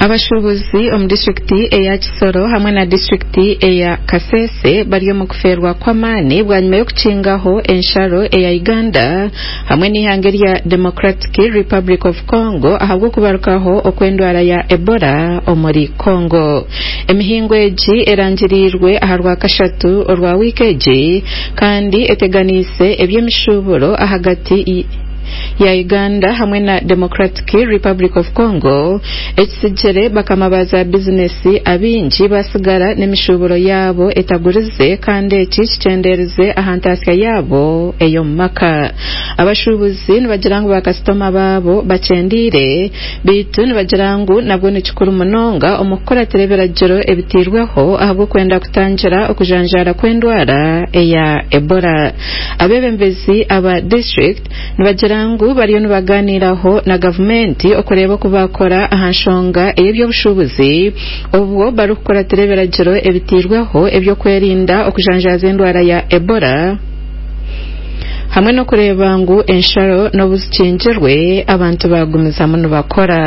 Abashuubuzi omu disiturikiti eya Kisoro hamwe na disiturikiti eya Kasese bari omu kufeerwa kw'amaani bwanyima y'okukingaho ensharo eya Uganda hamwe n'eihanga erya Democratic Republic of Congo ahabw'okubarukaho okw'endwara ya Ebola omuri Congo. Emihingo egi erangiriirwe aha rwakashatu orwa wiiki egi kandi eteganiise eby'emishuuburo ahagati ya Uganda hamwe na Democratic Republic of Congo ekitsigire bakama ba za bizinesi abaingi basigara n'emishuuburo yaabo etagurize kandi eki kikyendeerize aha ntaasya yaabo ey'omu maka. Abashuubuzi nibagira ngu bakasitoma baabo bakyendeire beitu nibagira ngu nabwo ni kikuru munonga omu kukuratira ebiragiro ebiteirweho ahabw'okwenda kutangira okujanjaara kw'endwara eya Ebola. Abeebembezi aba disiturikiti nibagira ngu bariyo nibaganiiraho na gavumenti okureeba oku baakora aha nshonga ey'eby'obushuubuzi obwo barikukuratira ebiragiro ebiteirweho eby'okwerinda okujanjaaza endwara ya Ebola hamwe n'okureeba ngu ensharo n'obu zikingirwe abantu baagumizamu nibakora.